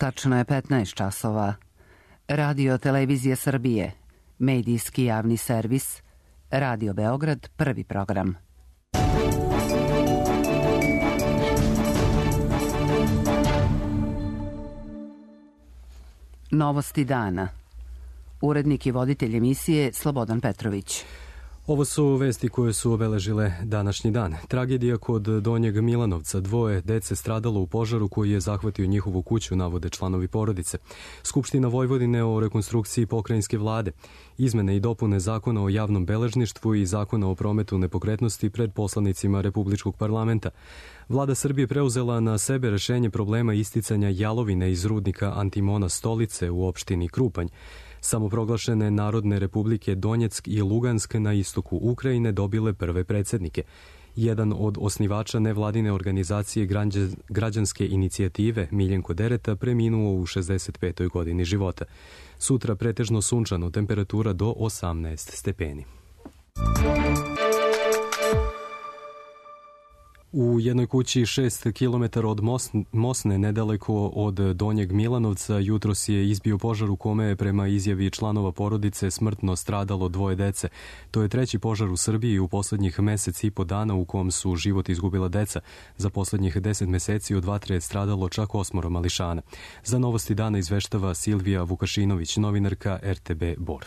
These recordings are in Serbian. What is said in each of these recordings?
Tačno je 15 časova. Radio Televizija Srbije, medijski javni servis, Radio Beograd, prvi program. Novosti dana. Urednik i voditelj emisije Slobodan Petrović. Ovo su vesti koje su obeležile današnji dan. Tragedija kod Donjeg Milanovca. 2 dece stradalo u požaru koji je zahvatio njihovu kuću, navode članovi porodice. Skupština Vojvodine o rekonstrukciji pokrajinske vlade. Izmene i dopune Zakona o javnom beležništvu i Zakona o prometu nepokretnosti pred poslanicima Republičkog parlamenta. Vlada Srbije preuzela na sebe rešenje problema isticanja jalovine iz rudnika antimona Stolice u opštini Krupanj. Samoproglašene Narodne republike Donjeck i Lugansk na istoku Ukrajine dobile prve predsjednike. Jedan od osnivača nevladine organizacije građanske inicijative, Miljenko Dereta, preminuo u 65. godini života. Sutra pretežno sunčano, temperatura do 18 stepeni. U jednoj kući 6 km od Mosne, nedaleko od Donjeg Milanovca, jutros je izbio požar u kome je prema izjavi članova porodice smrtno stradalo 2 dece. To je 3. požar u Srbiji u poslednjih mesec i po dana u kom su život izgubila deca. Za poslednjih 10 meseci od vatre je stradalo čak 8 mališana. Za Novosti dana izveštava Silvija Vukašinović, novinarka RTB Bor.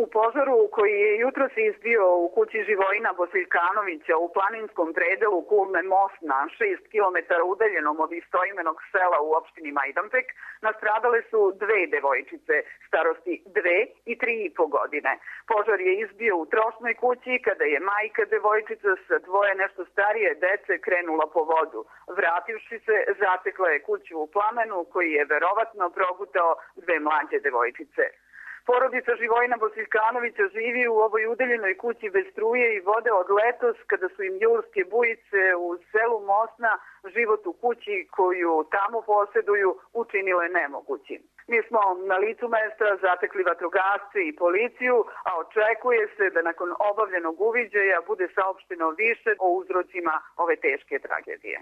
U požaru koji je jutros izbio u kući Živojina Bosiljkanovića u planinskom predelu Kulme Mosna, 6 km udaljenom od istoimenog sela u opštini Majdanpek, nastradale su 2 devojčice starosti 2 i 3,5 godine. Požar je izbio u trošnoj kući kada je majka devojčica sa 2 nešto starije dece krenula po vodu. Vrativši se, zatekla je kuću u plamenu koji je verovatno progutao 2 mlađe devojčice. Porodica Živojina Bosiljkanovića živi u ovoj udaljenoj kući bez struje i vode od letos, kada su im julske bujice u selu Mosna život u kući koju tamo posjeduju učinile nemogućim. Mi smo na licu mesta zatekli vatrogasce i policiju, a očekuje se da nakon obavljenog uviđaja bude saopšteno više o uzrocima ove teške tragedije.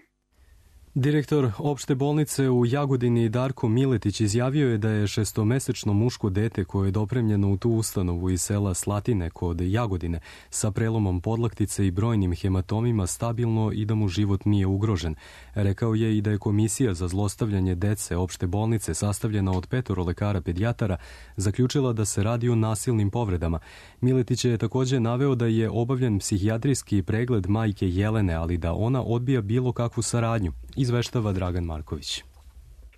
Direktor opšte bolnice u Jagodini Darko Miletić izjavio je da je 6-mesečno muško dete koje je dopremljeno u tu ustanovu iz sela Slatine kod Jagodine sa prelomom podlaktice i brojnim hematomima stabilno i da mu život nije ugrožen. Rekao je i da je komisija za zlostavljanje dece opšte bolnice sastavljena od 5 lekara pedijatara zaključila da se radi o nasilnim povredama. Miletić je također naveo da je obavljen psihijatrijski pregled majke Jelene, ali da ona odbija bilo kakvu saradnju. Izveštava Dragan Marković.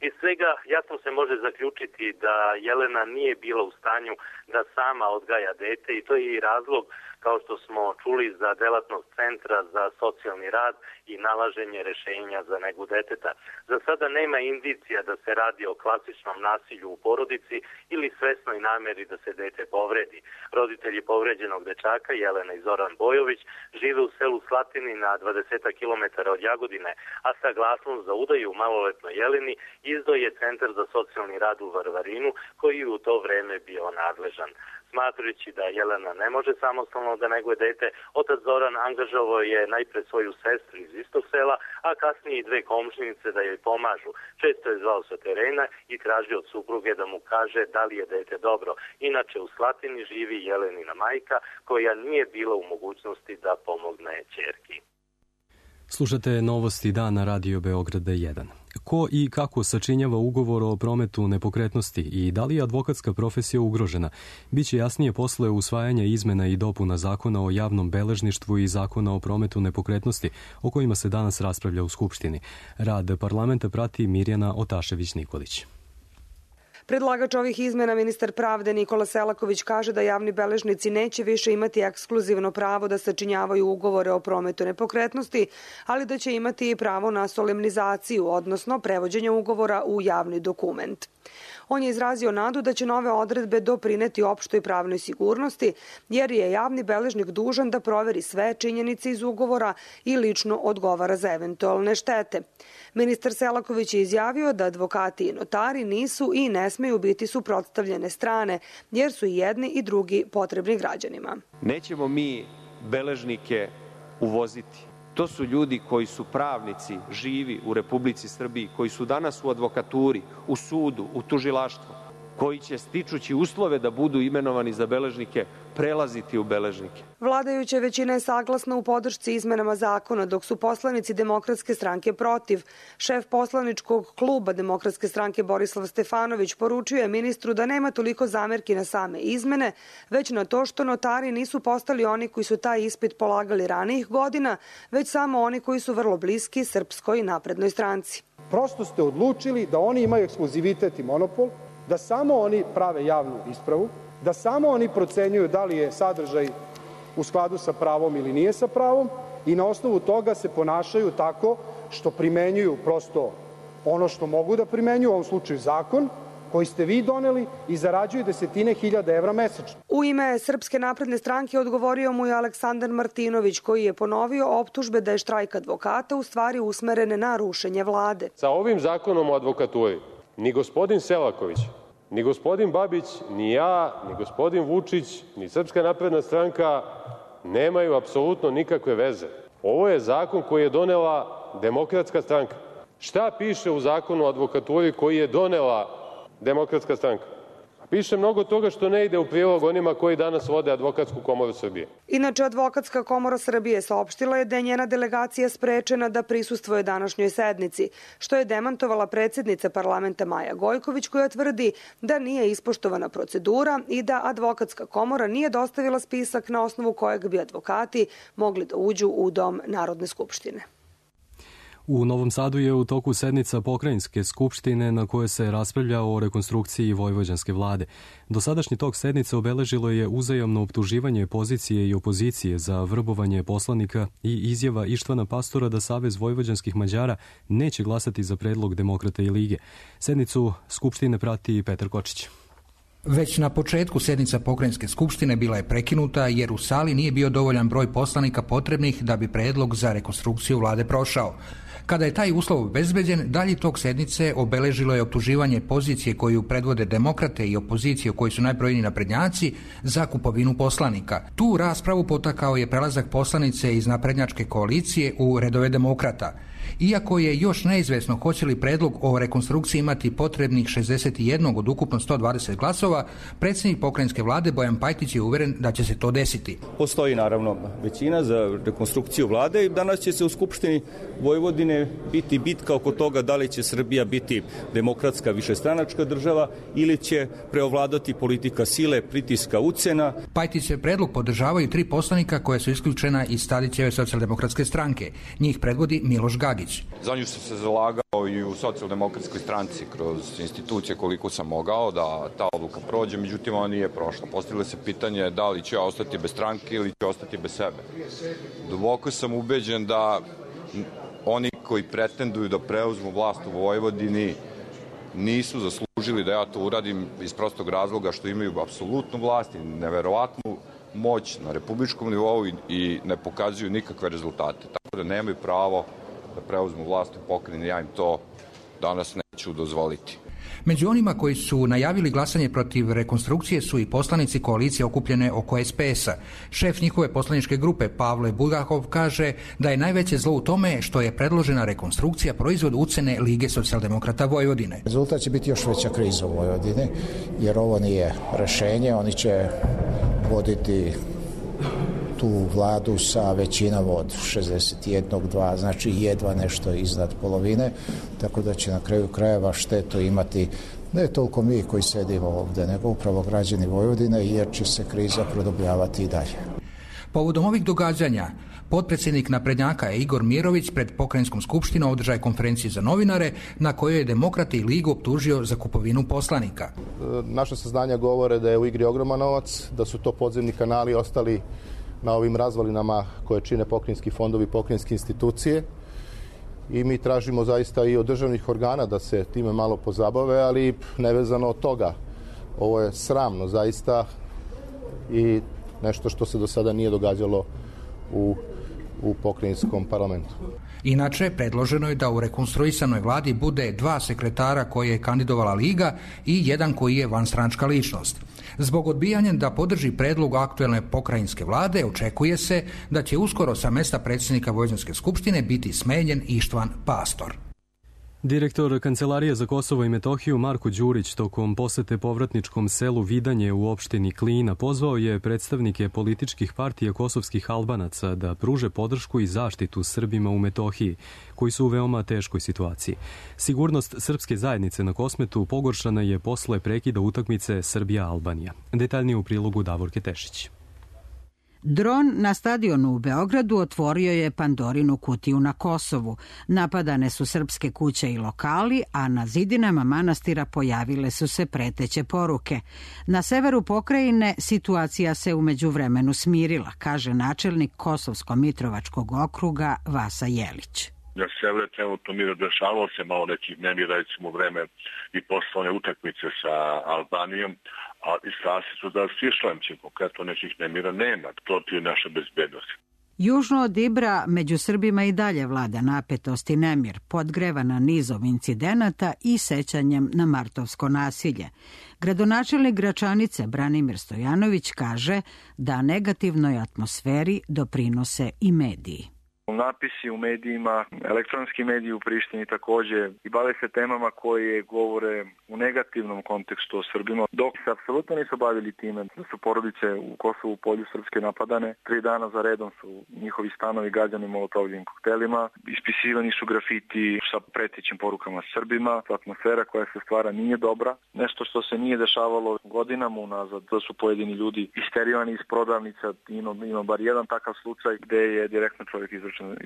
Iz svega jasno se može zaključiti da Jelena nije bila u stanju da sama odgaja dete i to je i razlog, kao što smo čuli, za delatnost Centra za socijalni rad i nalaženje rešenja za negu deteta. Za sada nema indicija da se radi o klasičnom nasilju u porodici ili svesnoj nameri da se dete povredi. Roditelji povređenog dečaka, Jelena i Zoran Bojović, žive u selu Slatini na 20 km od Jagodine, a saglasnost za udaju maloletnoj Jeleni izdao je Centar za socijalni rad u Varvarinu, koji je u to vreme bio nadležan. Smatrajući da Jelena ne može samostalno da neguje dete, otac Zoran angažovao je najpre svoju sestru iz istog sela, a kasnije i 2 komšinice da joj pomažu. Često je zvao sa terena i tražio od supruge da mu kaže da li je dete dobro. Inače u Slatini živi Jelenina majka koja nije bila u mogućnosti da pomogne ćerki. Slušate Novosti dana Radio Beograda 1. Ko i kako sačinjava ugovor o prometu nepokretnosti i da li je advokatska profesija ugrožena, biće jasnije posle usvajanja izmena i dopuna Zakona o javnom beležništvu i Zakona o prometu nepokretnosti, o kojima se danas raspravlja u Skupštini. Rad parlamenta prati Mirjana Otašević-Nikolić. Predlagač ovih izmena, ministar pravde Nikola Selaković, kaže da javni beležnici neće više imati ekskluzivno pravo da sačinjavaju ugovore o prometu nepokretnosti, ali da će imati i pravo na solemnizaciju, odnosno prevođenje ugovora u javni dokument. On je izrazio nadu da će nove odredbe doprineti opštoj pravnoj sigurnosti, jer je javni beležnik dužan da proveri sve činjenice iz ugovora i lično odgovara za eventualne štete. Ministar Selaković je izjavio da advokati i notari nisu i ne smeju biti suprotstavljene strane, jer su i jedni i drugi potrebni građanima. Nećemo mi beležnike uvoziti. To su ljudi koji su pravnici, živi u Republici Srbiji, koji su danas u advokaturi, u sudu, u tužilaštvu, koji će, stičući uslove da budu imenovani za beležnike, prelaziti u beležnike. Vladajuća većina je saglasna u podršci izmenama zakona, dok su poslanici Demokratske stranke protiv. Šef poslaničkog kluba Demokratske stranke Borislav Stefanović poručio je ministru da nema toliko zamerki na same izmene, već na to što notari nisu postali oni koji su taj ispit polagali ranijih godina, već samo oni koji su vrlo bliski Srpskoj naprednoj stranci. Prosto ste odlučili da oni imaju ekskluzivitet i monopol, da samo oni prave javnu ispravu, da samo oni procenjuju da li je sadržaj u skladu sa pravom ili nije sa pravom i na osnovu toga se ponašaju tako što primenjuju prosto ono što mogu da primenjuju, u ovom slučaju zakon koji ste vi doneli i zarađuju desetine hiljada evra mesečno. U ime Srpske napredne stranke odgovorio mu je Aleksandar Martinović, koji je ponovio optužbe da je štrajk advokata u stvari usmeren na rušenje vlade. Sa ovim zakonom o advokaturi ni gospodin Selaković, ni gospodin Babić, ni ja, ni gospodin Vučić, ni Srpska napredna stranka nemaju apsolutno nikakve veze. Ovo je zakon koji je donela Demokratska stranka. Šta piše u zakonu o advokaturi koji je donela Demokratska stranka? Piše mnogo toga što ne ide u prilog onima koji danas vode Advokatsku komoru Srbije. Inače, Advokatska komora Srbije saopštila je da je njena delegacija sprečena da prisustvuje današnjoj sednici, što je demantovala predsednica parlamenta Maja Gojković, koja tvrdi da nije ispoštovana procedura i da Advokatska komora nije dostavila spisak na osnovu kojeg bi advokati mogli da uđu u dom Narodne skupštine. U Novom Sadu je u toku sednica Pokrajinske skupštine na kojoj se raspravlja o rekonstrukciji vojvođanske vlade. Dosadašnji tok sednice obeležilo je uzajamno optuživanje pozicije i opozicije za vrbovanje poslanika i izjava Ištvana Pastora da Savez vojvođanskih Mađara neće glasati za predlog Demokrata i Lige. Sednicu skupštine prati Petar Kočić. Već na početku sednica Pokrajinske skupštine bila je prekinuta jer u sali nije bio dovoljan broj poslanika potrebnih da bi predlog za rekonstrukciju vlade prošao. Kada je taj uslov obezbeđen, dalji tok sednice obeležilo je optuživanje pozicije koju predvode demokrate i opozicije u kojoj su najbrojniji naprednjaci za kupovinu poslanika. Tu raspravu potakao je prelazak poslanice iz naprednjačke koalicije u redove demokrata. Iako je još neizvesno hoće li predlog o rekonstrukciji imati potrebnih 61 od ukupno 120 glasova, predsjednik pokrajinske vlade Bojan Pajtić je uveren da će se to desiti. Postoji naravno većina za rekonstrukciju vlade i danas će se u Skupštini Vojvodine biti bitka oko toga da li će Srbija biti demokratska višestranačka država ili će preovladati politika sile, pritiska, ucena. Pajtićev predlog podržavaju 3 poslanika koja su isključena iz Tadićeve socijaldemokratske stranke. Njih predvodi Miloš Gagić. Za nju sam se zalagao i u socijaldemokratskoj stranci kroz institucije koliko sam mogao da ta odluka prođe, međutim ona nije prošla. Postavilo se pitanje da li će ostati bez stranke ili će ostati bez sebe. Duboko sam ubeđen da oni koji pretenduju da preuzmu vlast u Vojvodini nisu zaslužili da ja to uradim iz prostog razloga što imaju apsolutnu vlast i neverovatnu moć na republičkom nivou i ne pokazuju nikakve rezultate. Tako da nemaju pravo da preuzmu vlast u pokrajini, ja im to danas neću dozvoliti. Među onima koji su najavili glasanje protiv rekonstrukcije su i poslanici koalicije okupljene oko SPS-a. Šef njihove poslaničke grupe Pavle Bulgakov kaže da je najveće zlo u tome što je predložena rekonstrukcija proizvod ucene Lige socijaldemokrata Vojvodine. Rezultat će biti još veća kriza u Vojvodini, jer ovo nije rešenje. Oni će voditi tu vladu sa većinom od 61-2, znači jedva nešto iznad polovine, tako da će na kraju krajeva štetu imati ne toliko mi koji sedimo ovde, nego upravo građani Vojvodine, jer će se kriza produbljavati i dalje. Povodom ovih događanja, potpredsjednik naprednjaka Igor Mirović pred pokrajinskom skupštinom održao je konferenciju za novinare na kojoj je Demokrate i Ligu optužio za kupovinu poslanika. Naša saznanja govore da je u igri ogroman novac, da su to podzemni kanali ostali na ovim razvalinama koje čine pokrajinski fondovi, pokrajinske institucije i mi tražimo zaista i od državnih organa da se time malo pozabave, ali nevezano od toga. Ovo je sramno zaista i nešto što se do sada nije događalo u pokrajinskom parlamentu. Inače, predloženo je da u rekonstruisanoj vladi bude 2 sekretara koje je kandidovala Liga i 1 koji je vanstranačka ličnost. Zbog odbijanja da podrži predlog aktuelne pokrajinske vlade, očekuje se da će uskoro sa mesta predsjednika Vojvođanske skupštine biti smenjen Ištvan Pastor. Direktor Kancelarije za Kosovo i Metohiju Marko Đurić tokom posete povratničkom selu Vidanje u opštini Klina pozvao je predstavnike političkih partija kosovskih Albanaca da pruže podršku i zaštitu Srbima u Metohiji, koji su u veoma teškoj situaciji. Sigurnost srpske zajednice na Kosmetu pogoršana je posle prekida utakmice Srbija-Albanija. Detaljnije u prilogu Davorke Tešić. Dron na stadionu u Beogradu otvorio je Pandorinu kutiju na Kosovu. Napadane su srpske kuće i lokali, a na zidinama manastira pojavile su se preteće poruke. Na severu pokrajine situacija se umeđu vremenu smirila, kaže načelnik Kosovsko-Mitrovačkog okruga Vasa Jelić. Na severu trenutno mira, dešavalo se malo nekih nemira, recimo vreme i poslovne utakmice sa Albanijom, ali sasi su da svi šlemći, konkretno nekih nemira nema, protiv naše bezbednosti. Južno od Ibra među Srbima i dalje vlada napetost i nemir, podgrevana nizom incidenata i sećanjem na martovsko nasilje. Gradonačelnik Gračanice Branimir Stojanović kaže da negativnoj atmosferi doprinose i mediji. Napisi u medijima, elektronski mediji u Prištini također i bave se temama koje govore u negativnom kontekstu o Srbima, dok se apsolutno nisu bavili time da su porodice u Kosovu polju srpske napadane. 3 dana za redom su njihovi stanovi gađani molotovljivim koktelima, ispisivani su grafiti sa pretećim porukama Srbima. Atmosfera koja se stvara nije dobra. Nešto što se nije dešavalo godinama unazad, da su pojedini ljudi isterijani iz prodavnica. Ima bar jedan takav slučaj gde je direktno čovjek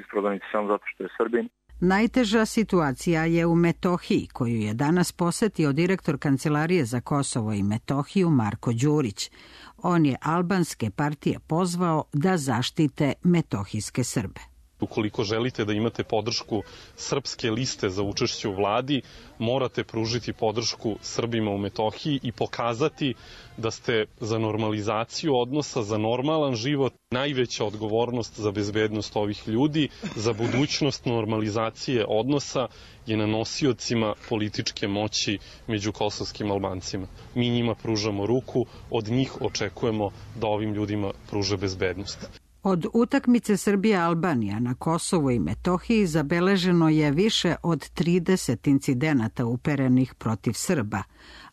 iz prodavnice samo zato što je Srbin. Najteža situacija je u Metohiji, koju je danas posetio direktor Kancelarije za Kosovo i Metohiju Marko Đurić. On je albanske partije pozvao da zaštite metohijske Srbe. Ukoliko želite da imate podršku srpske liste za učešće u vladi, morate pružiti podršku Srbima u Metohiji i pokazati da ste za normalizaciju odnosa, za normalan život. Najveća odgovornost za bezbednost ovih ljudi, za budućnost normalizacije odnosa je na nosiocima političke moći među kosovskim Albancima. Mi njima pružamo ruku, od njih očekujemo da ovim ljudima pruže bezbednost. Od utakmice Srbija-Albanija na Kosovu i Metohiji zabeleženo je više od 30 incidenata uperenih protiv Srba,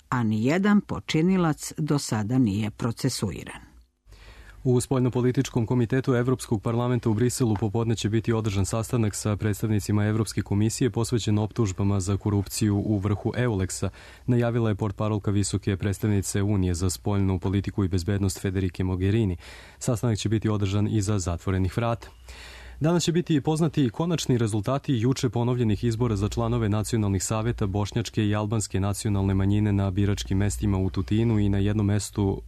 a nijedan počinilac do sada nije procesuiran. U Spoljnopolitičkom komitetu Evropskog parlamenta u Briselu popodne će biti održan sastanak sa predstavnicima Evropske komisije posvećen optužbama za korupciju u vrhu EULEX-a, najavila je portparolka visoke predstavnice Unije za spoljnu politiku i bezbednost Federike Mogherini. Sastanak će biti održan iza zatvorenih vrata. Danas će biti poznati konačni rezultati juče ponovljenih izbora za članove nacionalnih saveta bošnjačke i albanske nacionalne manjine na biračkim mestima u Tutinu i na jednom mestu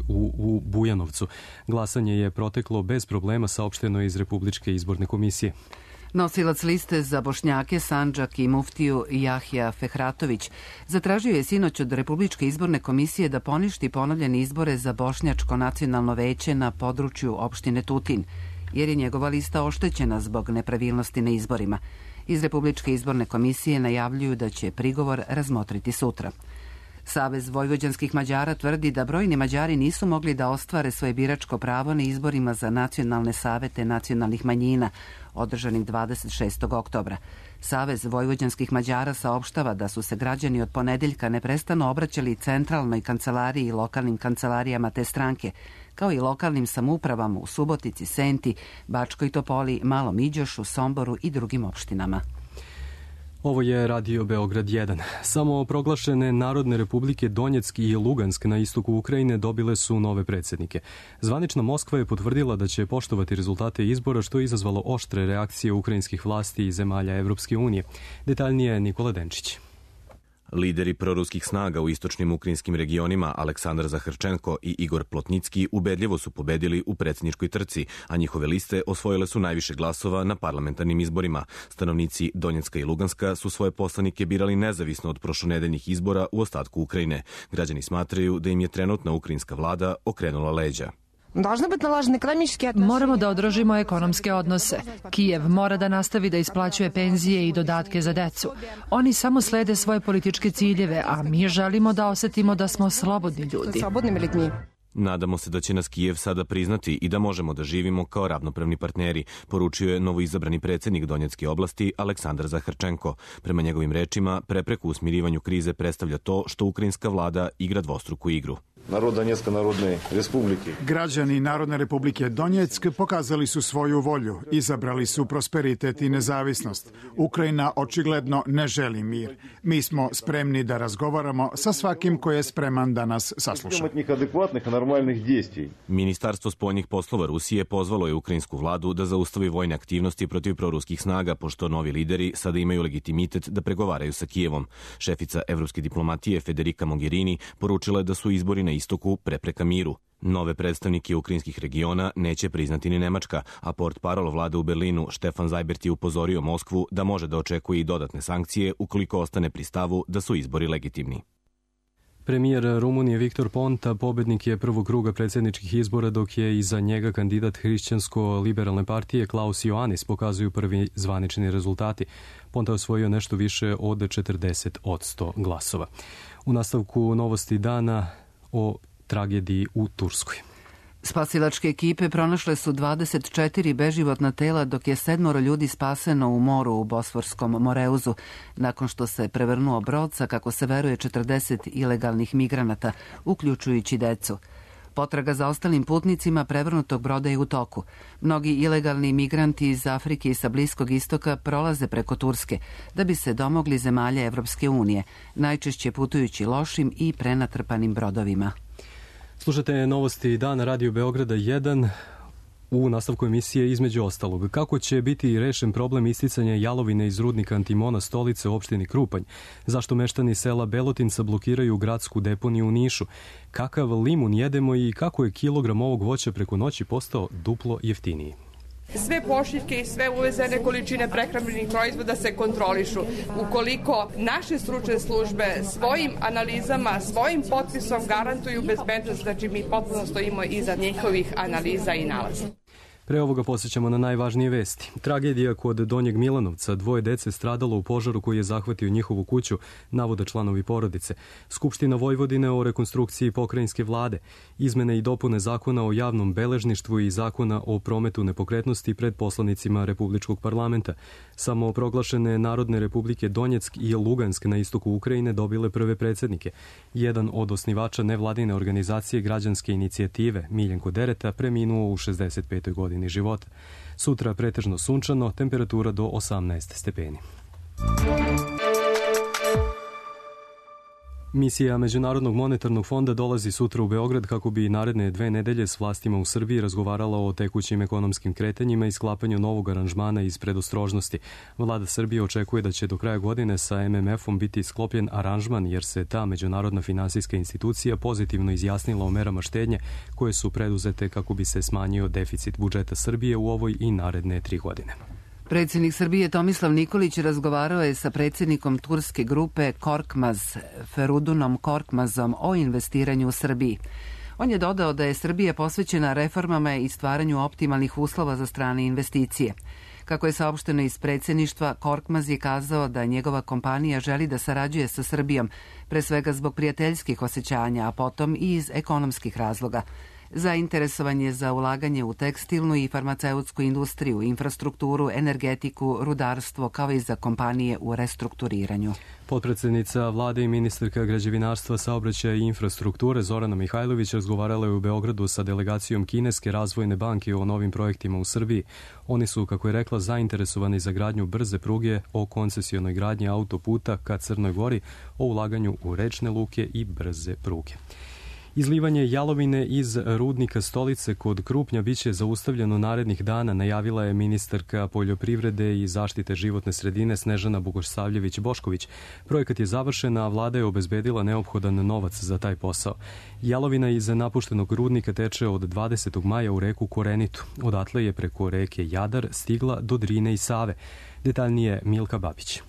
u Bujanovcu. Glasanje je proteklo bez problema, saopšteno iz Republičke izborne komisije. Nosilac liste za Bošnjake, Sandžak i muftiju Jahja Fehratović zatražio je sinoć od Republičke izborne komisije da poništi ponovljene izbore za Bošnjačko nacionalno veće na području opštine Tutin, jer je njegova lista oštećena zbog nepravilnosti na izborima. Iz Republičke izborne komisije najavljuju da će prigovor razmotriti sutra. Savez vojvođanskih Mađara tvrdi da brojni Mađari nisu mogli da ostvare svoje biračko pravo na izborima za nacionalne savete nacionalnih manjina, održanih 26. oktobra. Savez vojvođanskih Mađara saopštava da su se građani od ponedeljka neprestano obraćali centralnoj kancelariji i lokalnim kancelarijama te stranke, kao i lokalnim samoupravama u Subotici, Senti, Bačkoj Topoli, Malom Iđošu, Somboru i drugim opštinama. Ovo je Radio Beograd 1. Samo proglašene Narodne republike Donjeck i Lugansk na istoku Ukrajine dobile su nove predsjednike. Zvanična Moskva je potvrdila da će poštovati rezultate izbora, što je izazvalo oštre reakcije ukrajinskih vlasti i zemalja Evropske unije. Detaljnije Nikola Denčić. Lideri proruskih snaga u istočnim ukrajinskim regionima Aleksandar Zaharčenko i Igor Plotnicki ubedljivo su pobedili u predsjedničkoj trci, a njihove liste osvojile su najviše glasova na parlamentarnim izborima. Stanovnici Donjecka i Luganska su svoje poslanike birali nezavisno od prošlonedeljnih izbora u ostatku Ukrajine. Građani smatraju da im je trenutna ukrajinska vlada okrenula leđa. Moramo da održimo ekonomske odnose. Kijev mora da nastavi da isplaćuje penzije i dodatke za decu. Oni samo slede svoje političke ciljeve, a mi želimo da osetimo da smo slobodni ljudi. Nadamo se da će nas Kijev sada priznati i da možemo da živimo kao ravnopravni partneri, poručio je novoizabrani predsednik Donjecke oblasti Aleksandar Zaharčenko. Prema njegovim rečima, prepreku u smirivanju krize predstavlja to što ukrajinska vlada igra dvostruku igru. Građani Narodne republike Donjeck pokazali su svoju volju, izabrali su prosperitet i nezavisnost. Ukrajina očigledno ne želi mir. Mi smo spremni da razgovaramo sa svakim ko je spreman da nas sasluša. Ministarstvo spoljnih poslova Rusije pozvalo je ukrajinsku vladu da zaustavi vojne aktivnosti protiv proruskih snaga, pošto novi lideri sada imaju legitimitet da pregovaraju sa Kijevom. Šefica evropske diplomatije Federica Mogherini poručila je da su izbori na istoku prepreka miru. Nove predstavnike ukrajinskih regiona neće priznati ni Nemačka, a portparol vlade u Berlinu Štefan Zajbert je upozorio Moskvu da može da očekuje i dodatne sankcije ukoliko ostane pri stavu da su izbori legitimni. Premijer Rumunije Viktor Ponta pobednik je prvog kruga predsjedničkih izbora, dok je iza njega kandidat Hrišćansko-liberalne partije Klaus Ioannis, pokazuju prvi zvanični rezultati. Ponta je osvojio nešto više od 40% glasova. U nastavku novosti dana o tragediji u Turskoj. Spasilačke ekipe pronašle su 24 beživotna tela, dok je 7 ljudi spaseno u moru u Bosforskom Moreuzu, nakon što se prevrnuo brod sa, kako se veruje, 40 ilegalnih migranata, uključujući decu. Potraga za ostalim putnicima prevrnutog broda je u toku. Mnogi ilegalni migranti iz Afrike i sa Bliskog istoka prolaze preko Turske da bi se domogli zemalja Evropske unije, najčešće putujući lošim i prenatrpanim brodovima. Slušate novosti dana Radio Beograda 1. U nastavku emisije između ostalog. Kako će biti rešen problem isticanja jalovine iz rudnika Antimona Stolice u opštini Krupanj? Zašto meštani sela Belotinca blokiraju gradsku deponiju u Nišu? Kakav limun jedemo i kako je kilogram ovog voća preko noći postao duplo jeftiniji? Sve pošiljke i sve uvezene količine prehrambenih proizvoda se kontrolišu. Ukoliko naše stručne službe svojim analizama, svojim potpisom garantuju bezbednost, znači mi potpuno stojimo iza njihovih analiza i nalaza. Pre ovoga posjećamo na najvažnije vesti. Tragedija kod Donjeg Milanovca, 2 dece stradalo u požaru koji je zahvatio njihovu kuću, navode članovi porodice. Skupština Vojvodine o rekonstrukciji pokrajinske vlade, izmene i dopune zakona o javnom beležništvu i zakona o prometu nepokretnosti pred poslanicima Republičkog parlamenta. Samo proglašene Narodne republike Donjeck i Lugansk na istoku Ukrajine dobile prve predsjednike. Jedan od osnivača nevladine organizacije Građanske inicijative, Miljenko Dereta, preminuo u 65. godini života. Sutra pretežno sunčano, temperatura do 18 stepeni. Misija Međunarodnog monetarnog fonda dolazi sutra u Beograd kako bi naredne 2 nedelje s vlastima u Srbiji razgovarala o tekućim ekonomskim kretanjima i sklapanju novog aranžmana iz predostrožnosti. Vlada Srbije očekuje da će do kraja godine sa MMF-om biti sklopljen aranžman, jer se ta međunarodna finansijska institucija pozitivno izjasnila o merama štednje koje su preduzete kako bi se smanjio deficit budžeta Srbije u ovoj i naredne 3 godine. Predsjednik Srbije Tomislav Nikolić razgovarao je sa predsjednikom turske grupe Korkmaz, Ferudunom Korkmazom, o investiranju u Srbiji. On je dodao da je Srbija posvećena reformama i stvaranju optimalnih uslova za strane investicije. Kako je saopšteno iz predsjedništva, Korkmaz je kazao da njegova kompanija želi da sarađuje sa Srbijom, pre svega zbog prijateljskih osjećanja, a potom i iz ekonomskih razloga. Zainteresovanje za ulaganje u tekstilnu i farmaceutsku industriju, infrastrukturu, energetiku, rudarstvo, kao i za kompanije u restrukturiranju. Potpredsjednica vlade i ministarka građevinarstva, saobraćaja i infrastrukture Zorana Mihajlović razgovarala je u Beogradu sa delegacijom Kineske razvojne banke o novim projektima u Srbiji. Oni su, kako je rekla, zainteresovani za gradnju brze pruge, o koncesionoj gradnji autoputa ka Crnoj Gori, o ulaganju u rečne luke i brze pruge. Izlivanje jalovine iz rudnika Stolice kod Krupnja biće zaustavljeno narednih dana, najavila je ministarka poljoprivrede i zaštite životne sredine Snežana Bogosavljević-Bošković. Projekat je završen, a vlada je obezbedila neophodan novac za taj posao. Jalovina iz napuštenog rudnika teče od 20. maja u reku Korenitu. Odatle je preko reke Jadar stigla do Drine i Save. Detaljnije Milka Babić.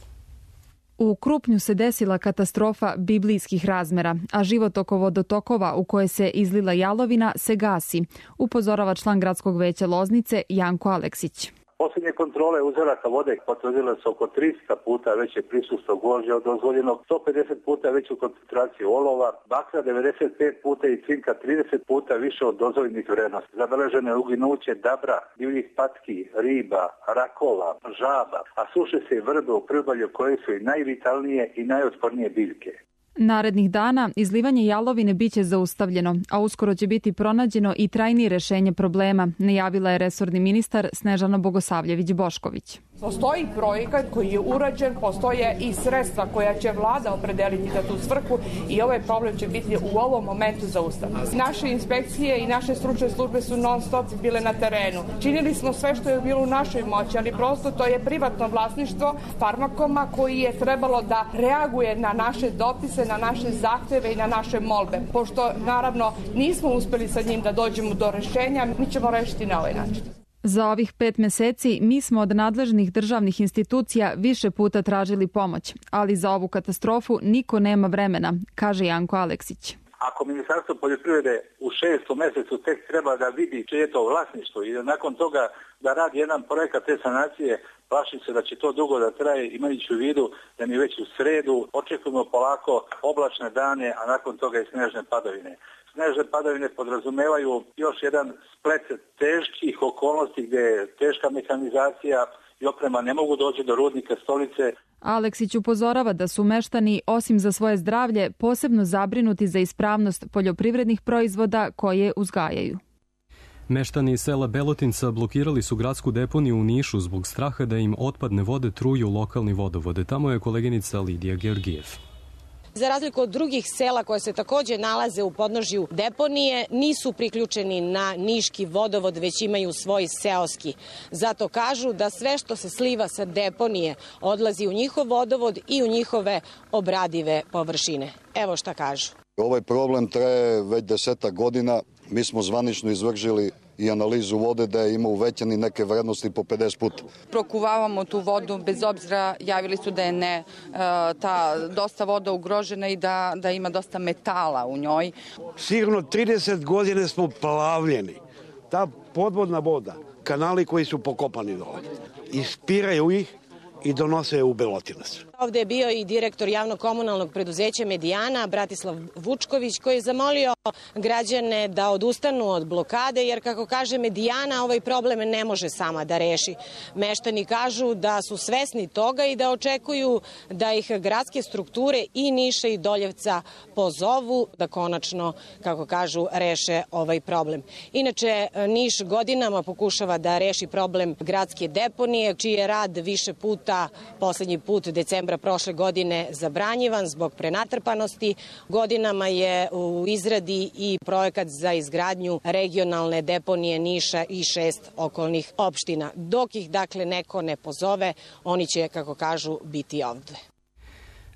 U Krupnju se desila katastrofa biblijskih razmera, a život oko vodotokova u koje se izlila jalovina se gasi, upozorava član gradskog veća Loznice Janko Aleksić. Posljednje kontrole uzoraka vode potvrdile su oko 300 puta veće prisustvo gvožđa od dozvoljenog, 150 puta veću koncentraciju olova, bakra 95 puta i cinka 30 puta više od dozvoljenih vrednosti. Zabeleženo je uginuće dabra, divljih patki, riba, rakova, žaba, a suše se i vrbe u priobalju koje su i najvitalnije i najotpornije biljke. Narednih dana izlivanje jalovine biće zaustavljeno, a uskoro će biti pronađeno i trajnije rešenje problema, najavila je resorni ministar Snežana Bogosavljević-Bošković. Postoji projekat koji je urađen, postoje i sredstva koja će vlada opredeliti za tu svrhu i ovaj problem će biti u ovom momentu zaustavljen. Naše inspekcije i naše stručne službe su non stop bile na terenu. Činili smo sve što je bilo u našoj moći, ali prosto to je privatno vlasništvo Farmakoma koji je trebalo da reaguje na naše dopise, na naše zahteve i na naše molbe. Pošto naravno nismo uspeli sa njim da dođemo do rešenja, mi ćemo rešiti na ovaj način. Za ovih 5 meseci mi smo od nadležnih državnih institucija više puta tražili pomoć, ali za ovu katastrofu niko nema vremena, kaže Janko Aleksić. Ako Ministarstvo poljoprivrede u 6. mesecu tek treba da vidi čije je to vlasništvo i da nakon toga da radi jedan projekat te sanacije, plašim se da će to dugo da traje, imajući u vidu da mi već u sredu očekujemo polako oblačne dane, a nakon toga i snežne padavine. Snežne padavine podrazumevaju još jedan splet teških okolnosti gdje je teška mehanizacija i oprema ne mogu doći do rudnika Stolice. Aleksić upozorava da su meštani, osim za svoje zdravlje, posebno zabrinuti za ispravnost poljoprivrednih proizvoda koje uzgajaju. Meštani iz sela Belotinca blokirali su gradsku deponiju u Nišu zbog straha da im otpadne vode truju lokalni vodovode. Tamo je koleginica Lidija Georgijev. Za razliku od drugih sela koje se takođe nalaze u podnožju deponije, nisu priključeni na niški vodovod, već imaju svoj seoski. Zato kažu da sve što se sliva sa deponije odlazi u njihov vodovod i u njihove obradive površine. Evo šta kažu. Ovaj problem traje već 10 godina. Mi smo zvanično izvršili i analizu vode da ima uvećani neke vrednosti po 50 puta. Prokuvavamo tu vodu, bez obzira javili su da je dosta voda ugrožena i da ima dosta metala u njoj. Sigurno 30 godina smo plavljeni. Ta podvodna voda, kanali koji su pokopani dole, ispiraju ih i donose u Belotinac. Ovde je bio i direktor javno-komunalnog preduzeća Medijana, Bratislav Vučković, koji je zamolio građane da odustanu od blokade, jer kako kaže Medijana, ovaj problem ne može sama da reši. Meštani kažu da su svesni toga i da očekuju da ih gradske strukture i Niša i Doljevca pozovu da konačno, kako kažu, reše ovaj problem. Inače, Niš godinama pokušava da reši problem gradske deponije, čiji je rad više puta, poslednji put decembra prošle godine, zabranjivan zbog prenatrpanosti. Godinama je u izradi i projekat za izgradnju regionalne deponije Niša i 6 okolnih opština. Dok ih, dakle, neko ne pozove, oni će, kako kažu, biti ovde.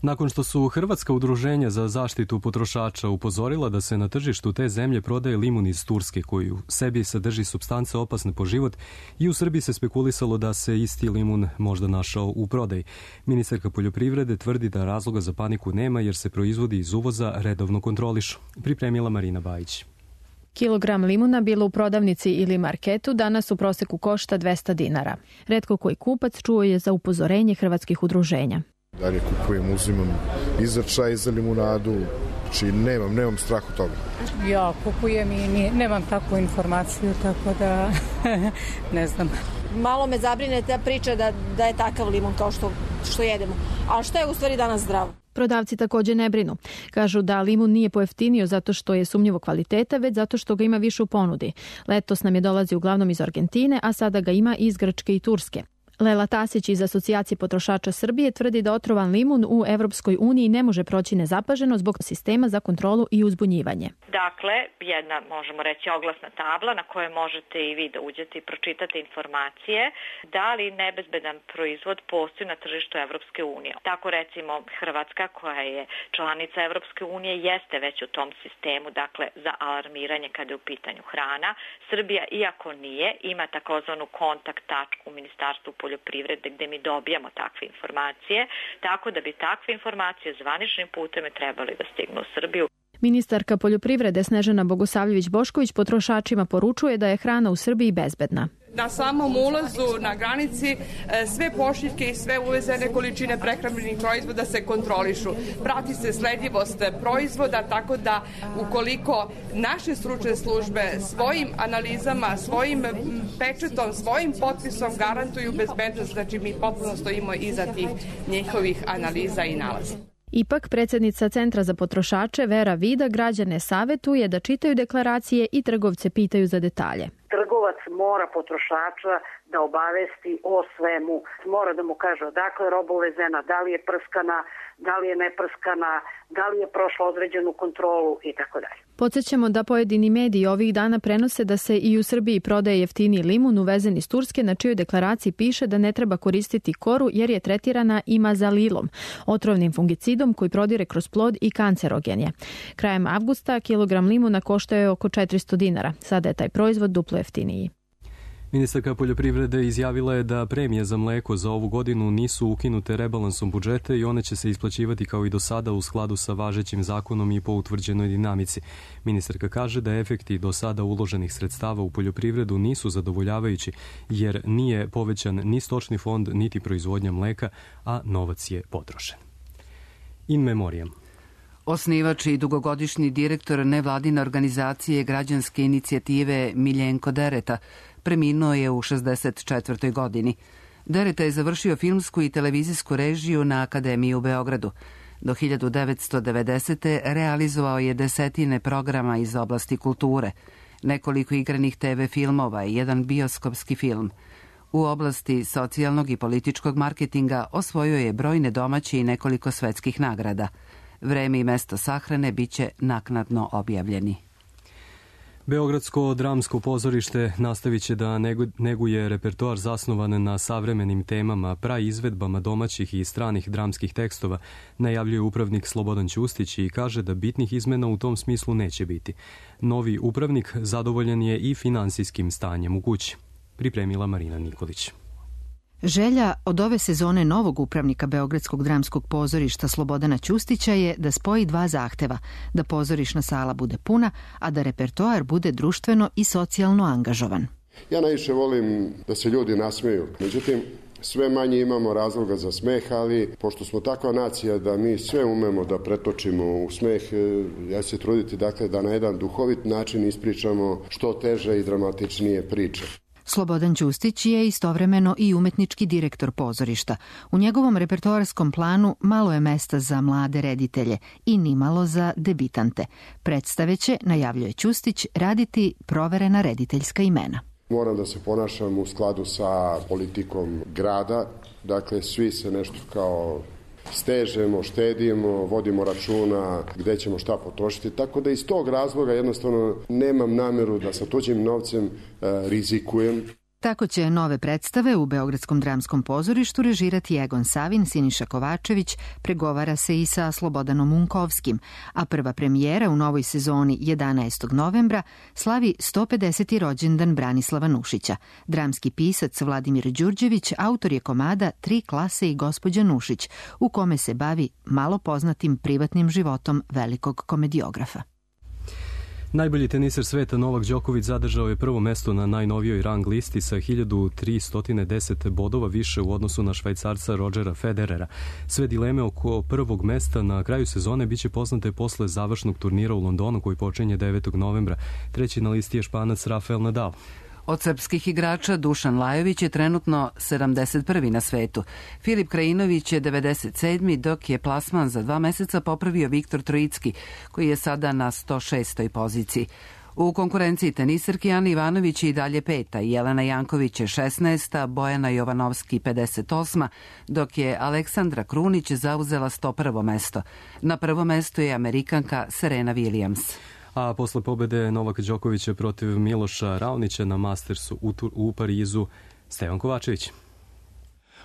Nakon što su hrvatska udruženja za zaštitu potrošača upozorila da se na tržištu te zemlje prodaje limun iz Turske koji u sebi sadrži supstance opasne po život, i u Srbiji se spekulisalo da se isti limun možda našao u prodaji. Ministarka poljoprivrede tvrdi da razloga za paniku nema jer se proizvodi iz uvoza redovno kontrolišu. Pripremila Marina Bajić. Kilogram limuna bilo u prodavnici ili marketu danas u proseku košta 200 dinara. Retko koji kupac čuo je za upozorenje hrvatskih udruženja. Dalje kupujem, uzimam izračaj za limunadu, znači nemam strah od toga. Ja kupujem i nemam takvu informaciju, tako da ne znam. Malo me zabrine ta priča da je takav limun kao što jedemo. A šta je u stvari danas zdravo? Prodavci takođe ne brinu. Kažu da limun nije pojeftinio zato što je sumnjivo kvaliteta, već zato što ga ima više u ponudi. Letos nam je dolazi uglavnom iz Argentine, a sada ga ima iz Grčke i Turske. Lela Tasić iz Asocijacije potrošača Srbije tvrdi da otrovan limun u Evropskoj uniji ne može proći nezapaženo zbog sistema za kontrolu i uzbunjivanje. Dakle, jedna, možemo reći, oglasna tabla na kojoj možete i vi da uđete i pročitate informacije da li nebezbedan proizvod postoji na tržištu Evropske unije. Tako recimo Hrvatska, koja je članica Evropske unije, jeste već u tom sistemu, dakle, za alarmiranje kada je u pitanju hrana. Srbija, iako nije, ima takozvanu kontakt tačku u Ministarstvu poljoprivrede gde mi dobijamo takve informacije, tako da bi takve informacije zvaničnim putem trebali da stignu u Srbiju. Ministarka poljoprivrede Snežana Bogosavljević-Bošković potrošačima poručuje da je hrana u Srbiji bezbedna. Na samom ulazu na granici sve pošiljke i sve uvezene količine prehrambenih proizvoda se kontrolišu. Prati se sledljivost proizvoda, tako da ukoliko naše stručne službe svojim analizama, svojim pečetom, svojim potpisom garantuju bezbednost, znači mi potpuno stojimo iza tih njihovih analiza i nalaza. Ipak, predsjednica Centra za potrošače Vera Vida građane savetuje da čitaju deklaracije i trgovce pitaju za detalje. Trgovac mora potrošača da obavesti o svemu. Mora da mu kaže odakle roba uvezena, da li je prskana, da li je neprskana, da li je prošla određenu kontrolu i tako dalje. Podsjećamo da pojedini mediji ovih dana prenose da se i u Srbiji prodaje jeftiniji limun uvezen iz Turske, na čijoj deklaraciji piše da ne treba koristiti koru jer je tretirana imazalilom, otrovnim fungicidom koji prodire kroz plod i kancerogen je. Krajem avgusta kilogram limuna koštao je oko 400 dinara. Sada je taj proizvod duplo jeftiniji. Ministarka poljoprivrede izjavila je da premije za mleko za ovu godinu nisu ukinute rebalansom budžeta i one će se isplaćivati kao i do sada u skladu sa važećim zakonom i po utvrđenoj dinamici. Ministarka kaže da efekti do sada uloženih sredstava u poljoprivredu nisu zadovoljavajući jer nije povećan ni stočni fond niti proizvodnja mleka, a novac je potrošen. In memoriam. Osnivač i dugogodišnji direktor nevladine organizacije građanske inicijative Miljenko Dereta preminuo je u 64. godini. Dereta je završio filmsku i televizijsku režiju na Akademiji u Beogradu. Do 1990. realizovao je desetine programa iz oblasti kulture, nekoliko igranih TV filmova i jedan bioskopski film. U oblasti socijalnog i političkog marketinga osvojio je brojne domaće i nekoliko svetskih nagrada. Vreme i mesto sahrane biće naknadno objavljeni. Beogradsko dramsko pozorište nastavit će da neguje repertoar zasnovan na savremenim temama, praizvedbama domaćih i stranih dramskih tekstova, najavljuje upravnik Slobodan Ćustić i kaže da bitnih izmena u tom smislu neće biti. Novi upravnik zadovoljan je i finansijskim stanjem u kući. Pripremila Marina Nikolić. Želja od ove sezone novog upravnika Beogradskog dramskog pozorišta Slobodana Ćustića je da spoji dva zahteva, da pozorišna sala bude puna, a da repertoar bude društveno i socijalno angažovan. Ja najviše volim da se ljudi nasmeju, međutim sve manje imamo razloga za smeh, ali pošto smo takva nacija da mi sve umemo da pretočimo u smeh, ja se truditi dakle da na jedan duhovit način ispričamo što teže i dramatičnije priče. Slobodan Ćustić je istovremeno i umetnički direktor pozorišta. U njegovom repertoarskom planu malo je mesta za mlade reditelje i nimalo za debitante. Predstave će, najavljuje Ćustić, raditi proverena rediteljska imena. Moram da se ponašam u skladu sa politikom grada, dakle svi se nešto kao stežemo, štedimo, vodimo računa gde ćemo šta potrošiti, tako da iz tog razloga jednostavno nemam nameru da sa tuđim novcem rizikujem. Tako će nove predstave u Beogradskom dramskom pozorištu režirati Egon Savin, Siniša Kovačević, pregovara se i sa Slobodanom Unkovskim, a prva premijera u novoj sezoni 11. novembra slavi 150. rođendan Branislava Nušića. Dramski pisac Vladimir Đurđević autor je komada 3 klase i gospođa Nušić, u kome se bavi malo poznatim privatnim životom velikog komediografa. Najbolji teniser sveta Novak Đoković zadržao je prvo mesto na najnovijoj rang listi sa 1310 bodova više u odnosu na Švajcarca Rodgera Federera. Sve dileme oko prvog mesta na kraju sezone biće poznate posle završnog turnira u Londonu koji počinje 9. novembra. Treći na listi je Španac Rafael Nadal. Od srpskih igrača Dušan Lajović je trenutno 71. na svetu. Filip Krajinović je 97. dok je plasman za 2 meseca popravio Viktor Trojicki, koji je sada na 106. poziciji. U konkurenciji teniserki Ana Ivanović je i dalje 5. Jelena Janković je 16. Bojana Jovanovski 58. dok je Aleksandra Krunić zauzela 101. mesto. Na prvom mestu je Amerikanka Serena Williams. A posle pobede Novaka Đokovića protiv Miloša Raonića na Mastersu u Parizu, Stevan Kovačević.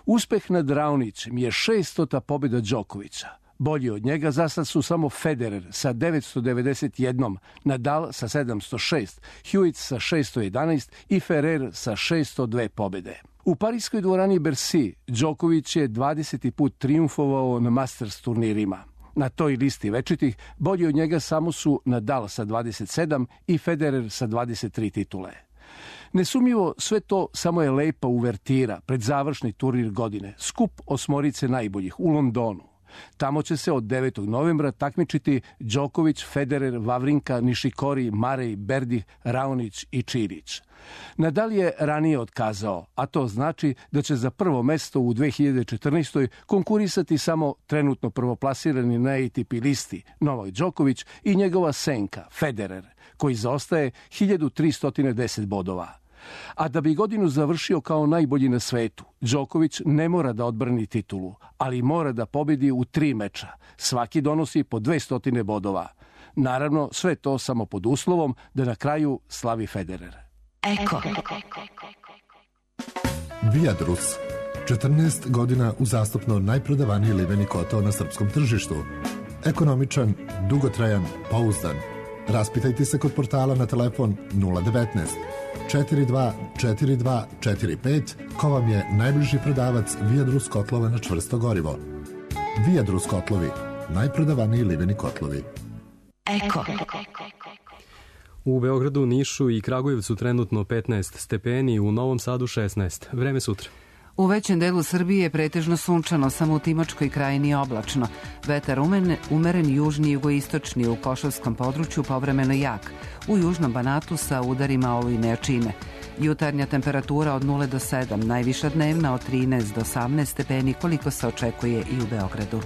Uspeh nad Raonićem je 600. pobjeda Đokovića. Bolji od njega zasad su samo Federer sa 991, Nadal sa 706, Hewitt sa 611 i Ferrer sa 602 pobjede. U parijskoj dvorani Bercy Đoković je 20. put trijumfovao na Masters turnirima. Na toj listi večitih bolji od njega samo su Nadal sa 27 i Federer sa 23 titule. Nesumnjivo sve to samo je lepa uvertira pred završni turnir godine, skup osmorice najboljih u Londonu. Tamo će se od 9. novembra takmičiti Đoković, Federer, Vavrinka, Nišikori, Marej, Berdih, Raonić i Čirić. Nadal je ranije otkazao, a to znači da će za prvo mesto u 2014. konkurisati samo trenutno prvoplasirani na ATP listi Novak Đoković i njegova senka Federer, koji zaostaje 1310 bodova. A da bi godinu završio kao najbolji na svetu, Đoković ne mora da odbrani titulu, ali mora da pobedi u 3 meča. Svaki donosi po 200 bodova. Naravno, sve to samo pod uslovom da na kraju slavi Federer. Eko. Viadrus. 14 godina uzastopno najprodavaniji liveni kotao na srpskom tržištu. Ekonomičan, dugotrajan, pouzdan. Raspitajte se kod portala na telefon 019 42 42 45 ko vam je najbliži prodavac Viadrus kotlova na čvrsto gorivo. Viadrus kotlovi, najprodavaniji liveni kotlovi. Eko. U Beogradu, Nišu i Kragujevcu trenutno 15 stepeni, u Novom Sadu 16. Vreme sutra. U većem delu Srbije je pretežno sunčano, samo u Timočkoj krajini oblačno. Vetar umeren južni i jugoistočni, u Košavskom području povremeno jak. U južnom Banatu sa udarima olujne jačine. Jutarnja temperatura od 0 do 7, najviša dnevna od 13 do 18 stepeni, koliko se očekuje i u Beogradu.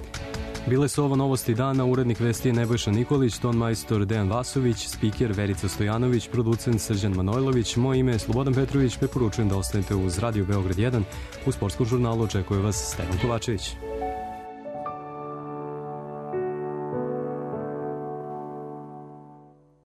Bile su ovo novosti dana, urednik vesti je Nebojša Nikolić, ton majstor Dejan Vasović, spiker Verica Stojanović, producent Srđan Manojlović, moje ime je Slobodan Petrović, preporučujem da ostanete uz Radio Beograd 1. U sportskom žurnalu očekuje vas Stevan Kovačević.